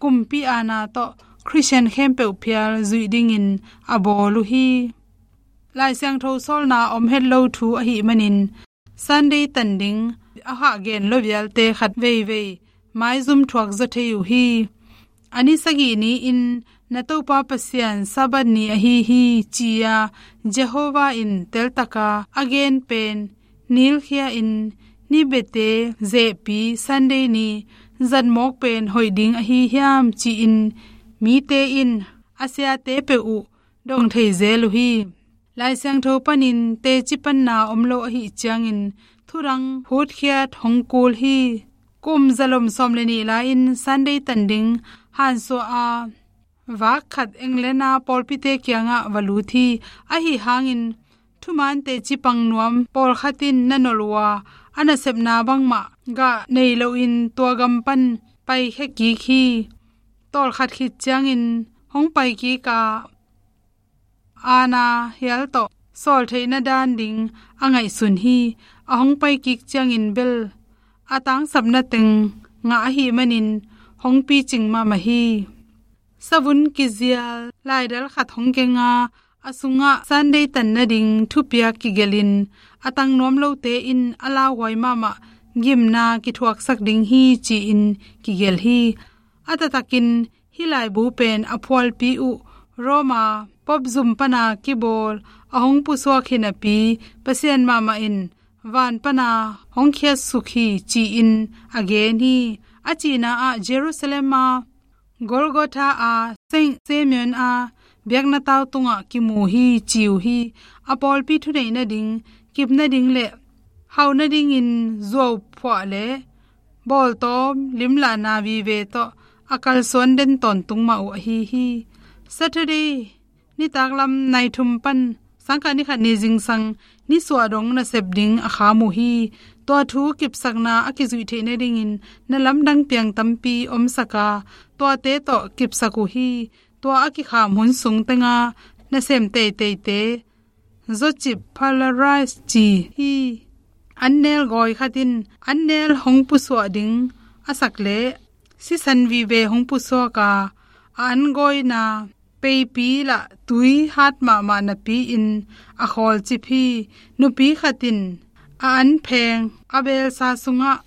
kumpi aana tawh Khristian khempeuh phial zuih dingin a bawl uh hi. Lai Siangtho sawlna om het lo thu ahih manin, Sunday tan ding a hah gen lo vialte khat veivei maizum thuak zaw thei uh hi. A ni sagih ni-in na Topa Pasian Sabbath ni ahi hi, ci-a Jehovah in teltaka a gen pen nilkhia-in, ni bete zehpi Sunday ni zatmawk pen hoih ding ahi hiam, ci-in mite in a siate peuh uh dong thei zel uh hi. Lai Siangtho panin teci panna om lo ahih ciangin thudang hutkhiat hong kul hi. Kum zalom sawm le nih lai-in Sunday tan ding hansuah a vak khat England-a pawlpite kiangah va lut hi. Ahi hangin thuman teci pang nuam pawlkhat in na nolh uh a, a nasepna bangmah gah nei loin tua gam pan paikhia kik hi. Tawlkhat khit ciangin hong paikik a, aana hial tawh sawl theihna dan ding a ngaihsun hi. A hong paikik ciangin bel a tangsapna teng ngah ahih manin hong picing mahmah hi. Savun kizial laidal khat hong keng a, a sungah Sunday tan nading thupiak kigelhin, a tang nuam lote in a lauhuai mahmah gimna kithuaksak ding hi, ci-in kigelh hi. A taktakin hih laibu pen a phualpi uh Roma Pope zum pana kibawl a hong pusuak hi napi, Pasian mahmah in van pana hong khiatsuk hi, ci-in a gen hi. A cihna ah Jerusalem a Golgotha a Saint Simeon a biakna tau tungah kimu hi, ci uh hi. A pawlpi thuneih nading, kip nading le hauh nadingin zuauphuah le bawltawm limlahna vive tawh a kalsuan den tawntung mah uh ahi hi. Saturday nitaklam nai thum pan sangkah ni khat ni zingsang nisuah dong nasep ding a kham uh hi. Tua thu kipsakna a kizuih theih nadingin na lamdang piang tampi omsak a, tuate tawh kipsak uh hi. Tua a kikham hun sung tenga nasem teiteite Zocip Palarais ci hi. Annel gawi khat in annel hong pusuah ding a sak le sisan vive hong pusuak a, a an gawina peipi lah tui hat mahmah napi-in a khawlcip hi. Nupi khat in a an pheng a belsa sungah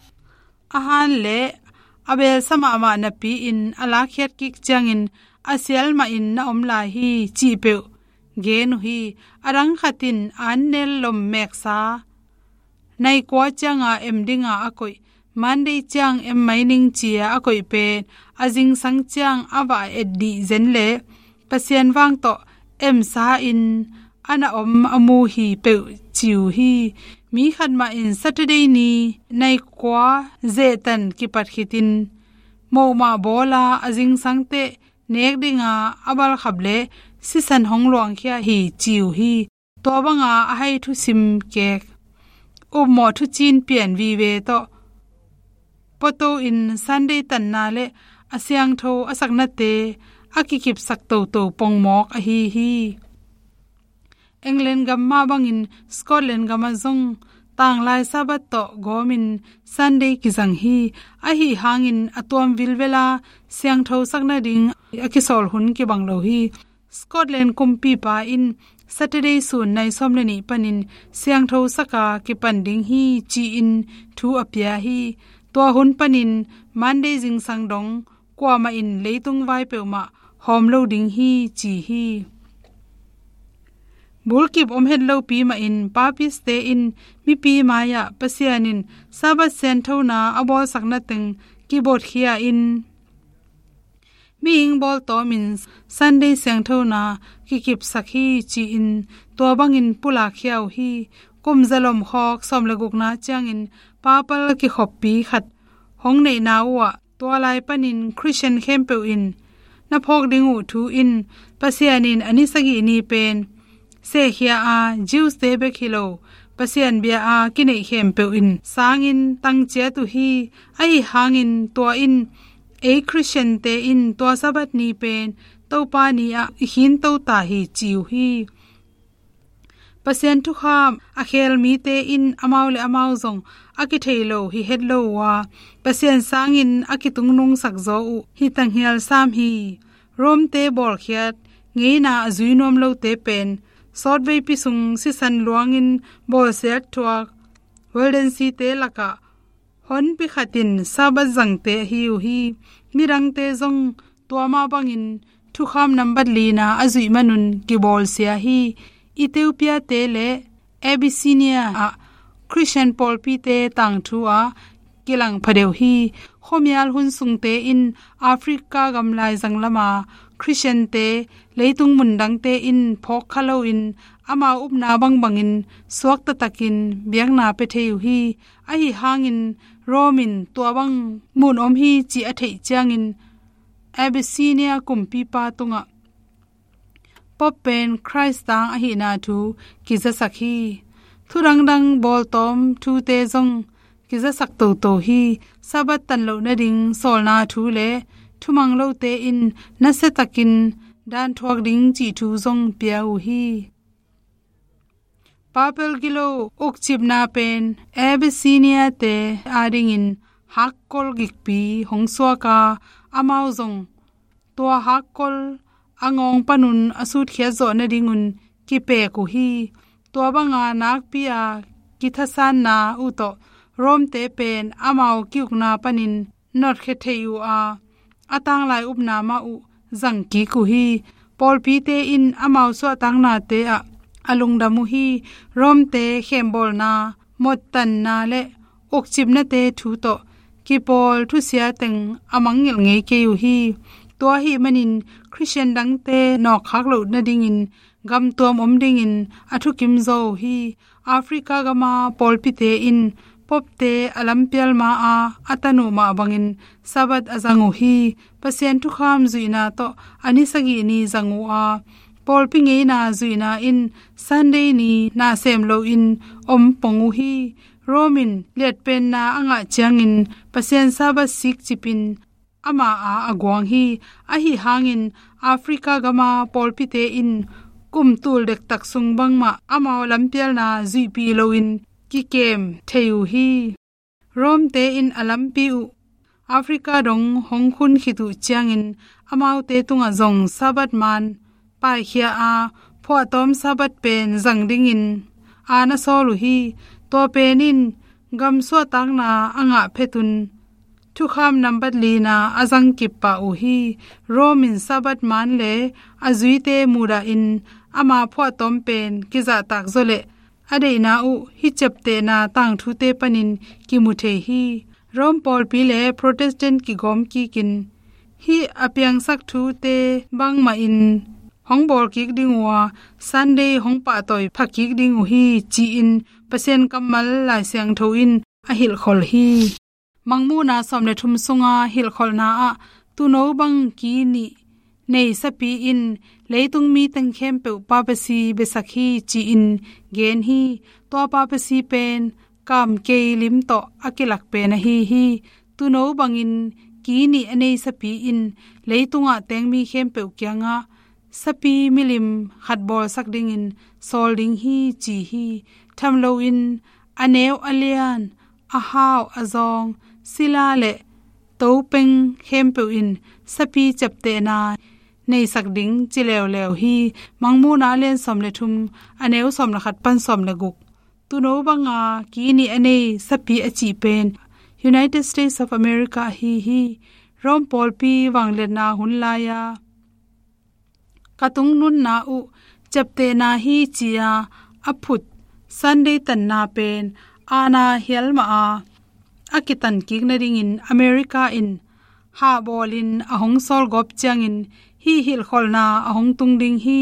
a han le a belsa mahmah napi-in a lakkhiat kik ciangin a sial mahin na om lai hi, cih peuh gen uh hi. A dang khat in a an nel lom meksa nai kua cianga em dinga a koih, Monday ciang em mai ning ci-a a koih pen a zingsang ciang a va et dih zen le Pasian vang tawh emsa in a na om a mu hi peuh ci uh hi. Mi khat mah in Saturday ni nai kua zehtan kipat khitin mohmah bawla a zingsangte nek dinga a balkhap le sisan hong luangkhia hi ci uh hi. Tua banga a hai thusim kek, upmawh thucin pian vive tawh pawto in Sunday tanna le a siangtho a saknate a kikipsak toto pongmawk ahi hi. England gam mah bangin Scotland gamah zong tanglai Sabbath tawh gawmin Sunday kizang hi. Ahi hangin a tuam vilvela siangtho sak nading a kisawl hun kibang lo hi. Scotland kumpipa in Saturday sun nai sawm le nih panin siangtho saka kipan ding hi ci-in thu a pia hi. Tua hun panin Monday zingsang dong kuamah in leitung vai peuhmah hawm lo ding hi ci hi. Bulkip om het lopi mahin papiste in mipi mai-ah Pasian in Sabbath sianthona a bawlsakna teng kibotkhia in mihing bawltawmin Sunday siangthona kikipsak hi ci-in tua bangin pulakkhia uh hi. Kum zalom khawk sawm le gukna ciangin papal kikhoppi khat hong neihna uhah Tua lai panin Khristian khempeuh in na phawk ding uh thu in Pasian in a ni sagih ni pen sehkhia a, Jews te bek hi lo, Pasian bia a kineih khempeuh in sangin tangciat uh hi. Ahi hangin tua in ei Khristian te in tua Sabbath ni pen Topa ni ah i khinto ta hi ci uh hi. Pasian thukham a khel mite in amau le amau zong a kithei lo hi het lo uh a, Pasian sangin a kitungnungsak zaw uh hi tanghial sam hi. Rome te bawlkhiat ngeina a zui nuam lote pen sawtveipi sung sisan luangin bawlsiat thuak Waldensi te lakah honpi khatin Sabbath zangte ahi uh hi. Midangte zong tua mah bangin thukham nambat lina a zuih manun kibawlsia hi. Ethiopia te le Abyssinia ah Khristian pawlpite tangthu ah kilang phadeuh hi. Khuamial hun sungte in Africa gamlai zanglama Khristiante leitung mundangte in phawk kha loin amau upna bangbangin suak taktakin biakna pia thei uh hi. Ahi hangin Rome in tua bang mun om hi ci a theih ciangin Abyssinia kumpipa tungah Pope pen Khrist tang ahihna thu kizasak hi. Thudangdang bawltawm thute zong kizasak toto hi. Sabbath tan loh nading sawlna thu le thumang lote in nasiatakin danthuak ding cih thu zong pia uh hi. Papal gilo ukcipna pen Abyssinia te adingin hakkol gikpi hong suak a, amau zong tua hakkol a ngawng panun a sutkhiat zawh nadingun kipek uh hi. Tua banga nakpi a kithasanna uh tawh Rome te pen amau kiukna panin notkhia thei uh a, a tanglai upna mah uh zang kik uh hi. Pawlpite in amau suahtaknate ah a lungdam uh hi. Rome te khembawlna, mottanna le ukcipnate thu tawh kipawl thusia teng a mangngilh ngei kei uh hi. Tua ahih manin Khristian dangte nawkkhak loh nadingin gamtuam om dingin a thukim zaw uh hi. Africa gama pawlpite in popte a lampial ma a a tan uh mah bangin Sabbath a zang uh hi. Pasian thukham zuihna tawh a ni sagih ni zang uh a, pawlpi ngeina zuihna in Sunday ni na sem loin om pong uh hi. Rome in liatpenna a ngah ciangin Pasian Sabbath sikcipin ama a a guang hi. Ahi hangin Africa gama pawlpite in kum tul dektak sung bangmah amau lampialna zuihpih loin kikem thei uh hi. Rome te in a lampi uh Africa dong hong khun khit uh ciangin amaute tungah zong Sabbath man paikhia a, phuahtawm Sabbath pen zang dingin a na sawl uh hi. Tua pen in gam suahtakna a ngah phetun thukham nambat lina a zangkip pah uh hi. Rome in Sabbath man le a zuite mudahin ama phuahtawm pen kizahtak zawleh a deihna uh hih ciaptehna tangthute panin kimu thei hi. Rome pawlpi le Protestant kigawm kikin hih a piangsak thute bangmahin hong bawl kik ding uh a, Sunday hong pahtawi pha kik ding uh hi ci-in Pasian kammal Lai Siangtho in a hilhkholh hi. Mangmuhna sawm le thum sunga hilhkholhna ah tuuno bang ki nih nei sapi in leitung mi teng khempeuh papasi biasak hi ci-in gen hi. Tua papasi pen kamkei lim tawh a kilak pen ahi hi. Tuuno bangin ki nih a nei sapi in leitungah teng mi khempeuh kiangah sapi milim khat bawlsak dingin sawl ding hi ci hi. Tham loin a neu a lian, a hau a zawng, sila le topeng khempeuh in sapi ciaptehna neisak ding ci leuleu hi. Mangmuhna a lian sawm le thum, a neu sawm le khat pan sawm le guk. Tuuno banga ki nih a nei sapi a cih pen United States of America ahi hi. Rome pawlpi vangliatna hun lai-a ka tungnunna uh ciaptehna hi ci-a a phut Sunday tanna pen aana hial mah a, a kitan kik nadingin America in hahbawlin a hong sawlgawp ciangin hih hilhkholhna a hong tung ding hi.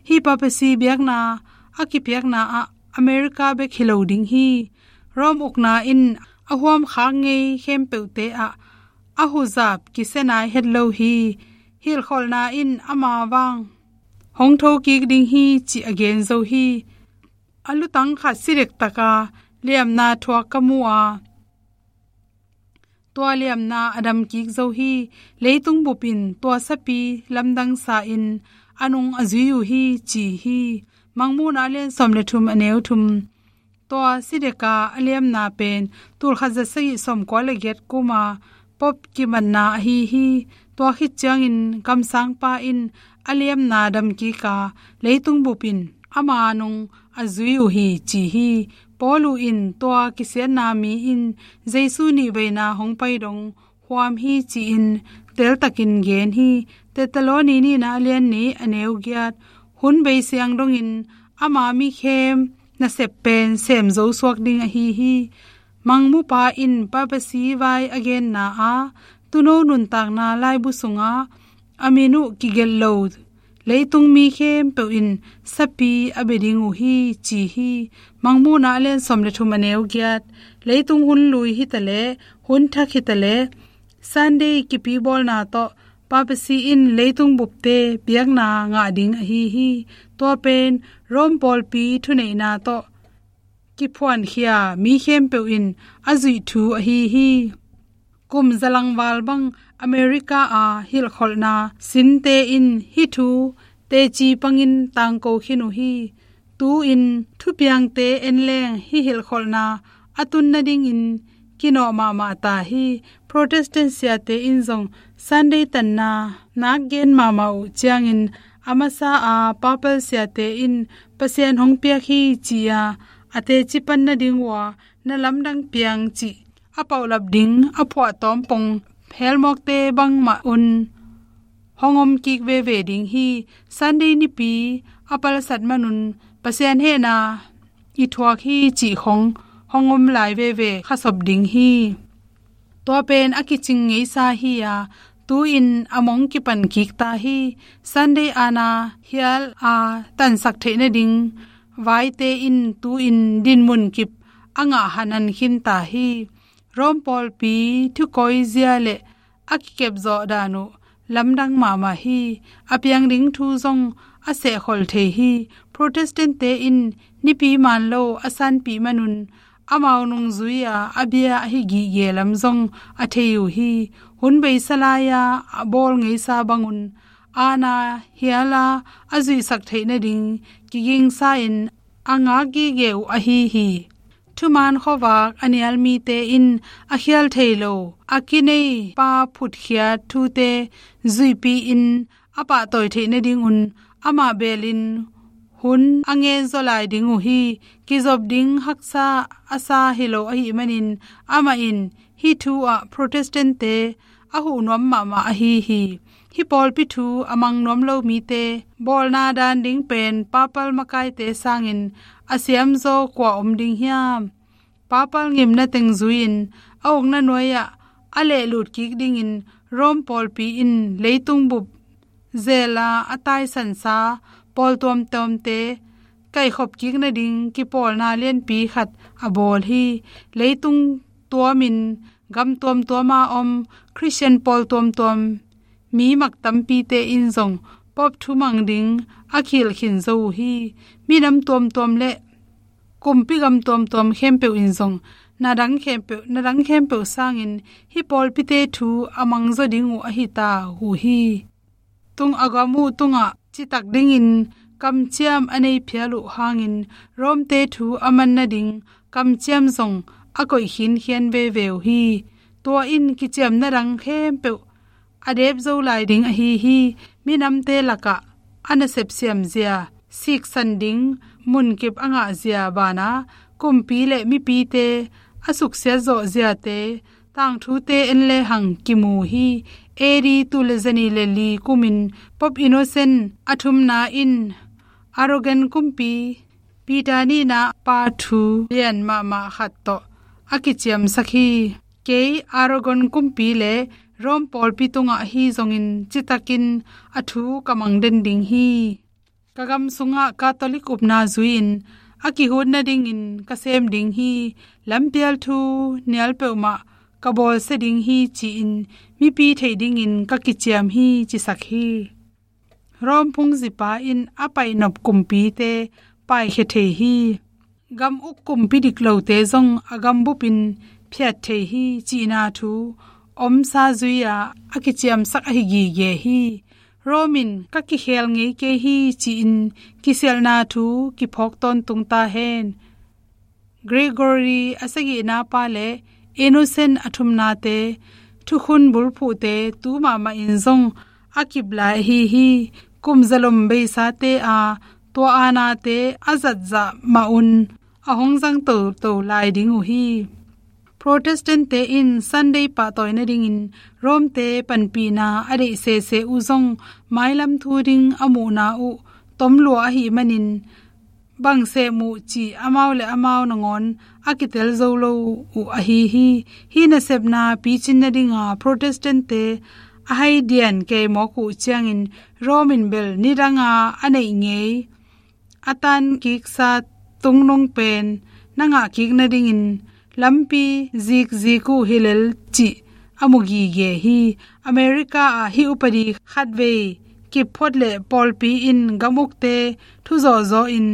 Hih papasi biakna a kipiakna ah America bek hi lo ding hi. Rome ukna in a huamkhak ngei khempeuhte ah a huzap kisia nai het lo hi. Hilhkholhna in ama vang hong thokik ding hi cih a gen zo hi. A lutang khat si dektak a, liamna thuak ka mu a, tua liamna a damkik zo hi. Leitung bup in tua sapi lamdang sa-in a nung a zui uh hi, ci hi. Mangmuhna a lian sawm le thum, a neu thum. Tua si dek a, a liamna pen tulkhat za sagih sawmkua le giat kuma Pope kimatna ahi hi. Tua khit ciangin kamsangpa in a liamna damkik a, leitung bup in ama nung a zui uh hi, ci hi. Paulu in tua kisiatna mi in Jesu nihveina hong pai dong huam hi, ci-in teltakin gen hi. Thesalonika nihna a lian nih, a neu giat. Hun bei siang dongin ama mikhem nasep pen sem zo suak ding ahi hi. Mangmupa in papacy vai a genna a, tuuno nuntakna laibu sungah a min uh kigelh lo leitung mi khempeuh in sapi a bia ding uh hi, ci hi. Mangmuhna a lian sawm le thum, a neu giat. Leitung hun lui hi ta leh, hun thak hi ta leh, Sunday kipi bawlna tawh papacy in leitung bupte biakna ngah ding ahi hi. Tua pen Rome pawlpi thuneihna tawh kiphuankhia mi khempeuh in a zuih thu ahi hi. Kum zalangval bang America a hilhkholhna sinte in hih thu teci pangin tangko khin uh hi. Tu-in thupiangte en leng hih hilhkholhna a tun nadingin kinawh mahmah ta hi. Protestant siate in zong Sunday tanna nak gen mahmah uh ciangin a masa a papal siate in Pasian hong piak hi ci-a a teci pan nading uh a na lamdang piang cih a paulap ding a phuahtawm pong phelmawkte bangmah un hong om kik veve ding hi. Sunday nipi a palsat manun Pasian hehna i thuak hi cih khong hong om lai veve khasop ding hi. Tua pen a kicing ngeisa hi a, tu-in a mong kipan kik ta hi. Sunday ana hial a tansak theih nading vaite in tu-in dinmun kip a ngah hanan khin ta hi. Rome pawlpi thukawi zia le a kikepzawh dan uh lamdang mahmah hi. A piang ding thu zong a sehkhol thei hi. Protestant-te in nipi man lo a sanpih manun amau nungzui-a a bia ahi gige lam zong a thei uh hi. Hun beisa lai-a a bawl ngeisa bangun ana hiala a zuihsak theih nading kigingsa-in a ngak gige uh ahi hi. Thuman khuavak a nial mite in a khial thei lo a kinei pa phutkhiat thute zuipi-in a pahtawi theih nadingun amah belin hun a ngen zaw lai ding uh hi. Kizop ding haksa a sa hi lo ahih manin amah in hih thu ah Protestant-te a huh nuam mahmah ahi hi. Hih pawlpi thu a mang nuam lo mite bawlna dan ding pen papal makaite sangin a siamzaw kua om ding hiam? Papal ngimna teng zui-in a ukna nuai-ah a lehlut kik dingin Rome pawlpi in leitung bup zela a taisansa pawl tuamtuamte kaihkhop kik nading kipawlna lianpi khat a bawl hi. Leitung tuamin gam tuamtuama om Khristian pawl tuamtuam mi mak tampite in zong Pope thumang ding a khil khin zo uh hi. Minam tuamtuam le kumpi gam tuamtuam khempeuh in zong na dang khempeuh, na dang khempeuh sangin hih pawlpite thu a mangzaw ding uh ahi ta uh hi. Tung a gam uh tungah citak dingin kamciam a nei phial uh hangin Rome-te thu a man nading kamciam zong a koih khinkhian veve uh hi. Tua in kiciamna dang khempeuh a dep zo lai ding ahi hi. Minamte lakah a nasep siamzia, siksan ding munkip a ngahzia banah kumpi le mipite a suksiat zawhziate tangthute en lehang kimu hi. A D tul le zanih le li kumin Pope Innocent a thumna in Aragon kumpi Peter nihna pa thu lian mahmah khat tawh a kiciamsak hi. Kei Aragon kumpi le Rome pawlpi tungah ahi zongin citakin a thu ka mang den ding hi. Ka gam sungah Catholic upna zui-in a kihut nadingin ka sem ding hi. Lampial thu nial peuhmah ka bawlsia ding hi ci-in mipi theih dingin ka kiciam hi, cisak hi. Rome phungzipa in a paihnop kumpite paikhia thei hi. Gam uk kumpi diklote zong a gambupin phiat thei hi cihna thu omsa zui-a a kiciamsak ahi gige hi. Rome in ka kikhel ngei kei hi ci-in kisialhna thu kiphawk tawntung ta hen. Gregory a sagihna pa le Innocent a thumnate thukhun bulphuhte tu mahmah in zong a kip lai ahi hi. Kum zalom beisate a tua aanate a zatzah mah un a hong zang toto lai ding uh hi. Protestant-te in Sunday pahtawi nadingin Rome-te panpihna a deih sese uh zong mailam thu ding a muhna uh tomlua ahih manin bang sem uh cih amau le amau nangawn a kitel zo lo uh ahi hi. Hih nasepna picin nadinga Protestant-te a hai dian kei mawk uh ciangin Rome in bel nidanga a neih ngei a tan kiksa tungnung pen na ngah kik nadingin lampi zikzik uh hi lel cih a mu gige hi. America ah hih upadi khatvei kipphot le pawlpi in gam ukte thuzawhzawh in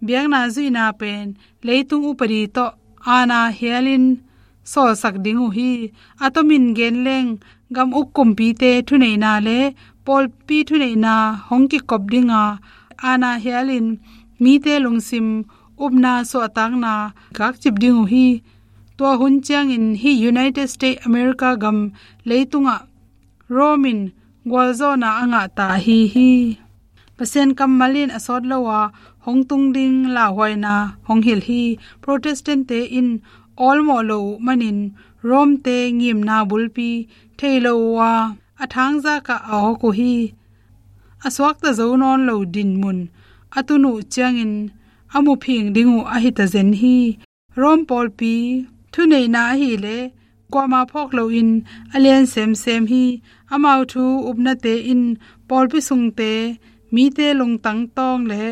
biakna zuihna pen leitung upadi tawh aana hialin sawlsak ding uh hi. A tomin gen leng gam uk kumpite thuneihna le pawlpi thuneihna hong kikop dinga aana hialin mite lungsim upna suahtakna gakcip ding uh hi. Tua hun ciangin hih United States America gam leitungah Rome in gualzawhna a ngah ta ahi hi. Pasian kammal in a sawt lo a hong tung ding lauhuaina hong hilh hi. Protestant-te in awlmawh lo uh manin Rome-te ngimna bulpi thei lo uh a a thangzak ah a awk uh hi. A suakta zo nawn lo dinmun a tun uh ciangin a muphing ding uh ahi ta zen hi. Rome pawlpi thuneihna ahileh kuamah phawk loin a lian semsem hi. Amau thu upnate in pawlpi sungte mite lungtang tawng le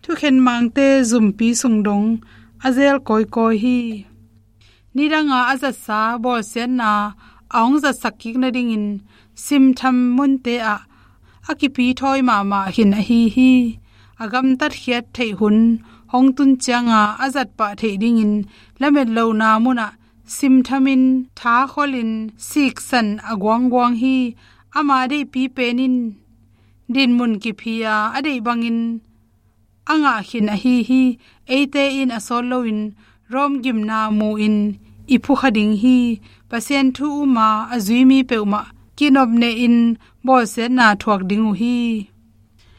thukhen mangte zumpi sung dong a zel kawikawi hi. Nidanga a zatsa bawlsiatna a hong zatsak kik nadingin simtham munte ah a kipithawi mahmah khin ahi hi. A gamtatkhiat theih hun hong tun cianga a zatpah theih dingin lamet lohna munah simthamin thakhawlin siksan a guangguang hi. Ama deihpi pen in dinmun kiphi a a deih bangin a ngah khin ahi hi. Eite in a sawt loin Rome gimna mu-in i phukha ding hi. Pasian thu uma a zui mi peuhmah kinopnehin bawlsiatna thuak ding uh hi.